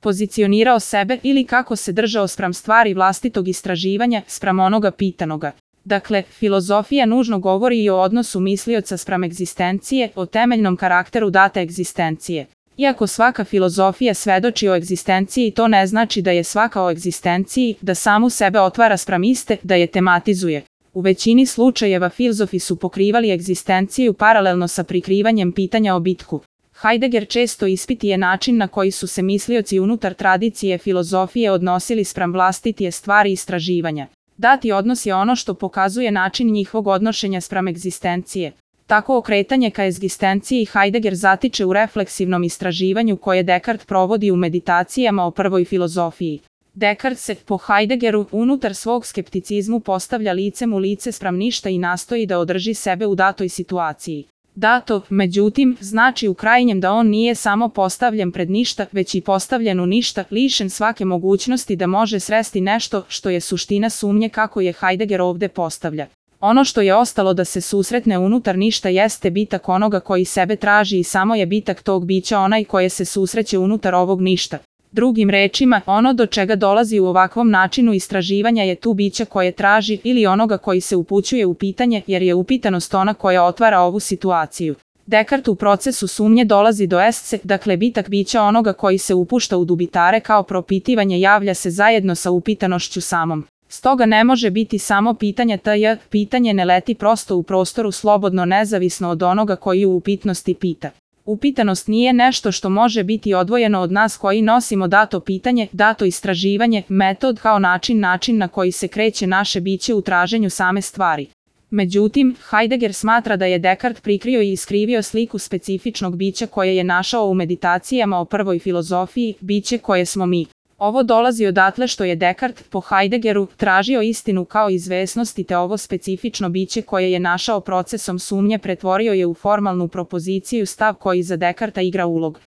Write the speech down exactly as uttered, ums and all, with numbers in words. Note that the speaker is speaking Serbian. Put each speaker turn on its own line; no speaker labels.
pozicionirao sebe ili kako se držao spram stvari vlastitog istraživanja, spram onoga pitanoga. Dakle, filozofija nužno govori i o odnosu mislioca spram egzistencije, o temeljnom karakteru date egzistencije. Iako svaka filozofija svedoči o egzistenciji, to ne znači da je svaka o egzistenciji, da samu sebe otvara spram iste, da je tematizuje. U većini slučajeva filozofi su pokrivali egzistenciju paralelno sa prikrivanjem pitanja o bitku. Heidegger često ispituje način na koji su se mislioci unutar tradicije filozofije odnosili spram vlastitije stvari istraživanja. Dati odnos je ono što pokazuje način njihovog odnošenja spram egzistencije. Tako okretanje ka egzistenciji Heidegger zatiče u refleksivnom istraživanju koje Descartes provodi u meditacijama o prvoj filozofiji. Descartes se, po Heideggeru, unutar svog skepticizmu postavlja licem u lice spram ništa i nastoji da održi sebe u datoj situaciji. Dato, međutim, znači u krajnjem da on nije samo postavljen pred ništa, već i postavljen u ništa, lišen svake mogućnosti da može sresti nešto što je suština sumnje kako je Heidegger ovde postavlja. Ono što je ostalo da se susretne unutar ništa jeste bitak onoga koji sebe traži i samo je bitak tog bića onaj koje se susreće unutar ovog ništa. Drugim rečima, ono do čega dolazi u ovakvom načinu istraživanja je tu bića koje traži ili onoga koji se upućuje u pitanje, jer je upitanost ona koja otvara ovu situaciju. Descartes u procesu sumnje dolazi do esce, dakle bitak bića onoga koji se upušta u dubitare kao propitivanje javlja se zajedno sa upitanošću samom. Stoga ne može biti samo pitanje tj, pitanje ne leti prosto u prostoru slobodno nezavisno od onoga koji u upitnosti pita. Upitanost nije nešto što može biti odvojeno od nas koji nosimo dato pitanje, dato istraživanje, metod kao način način na koji se kreće naše biće u traženju same stvari. Međutim, Heidegger smatra da je Descartes prikrio i iskrivio sliku specifičnog bića koje je našao u meditacijama o prvoj filozofiji, biće koje smo mi. Ovo dolazi odatle što je Descartes, po Heideggeru, tražio istinu kao izvesnost i te ovo specifično biće koje je našao procesom sumnje pretvorio je u formalnu propoziciju stav koji za Descartesa igra ulog.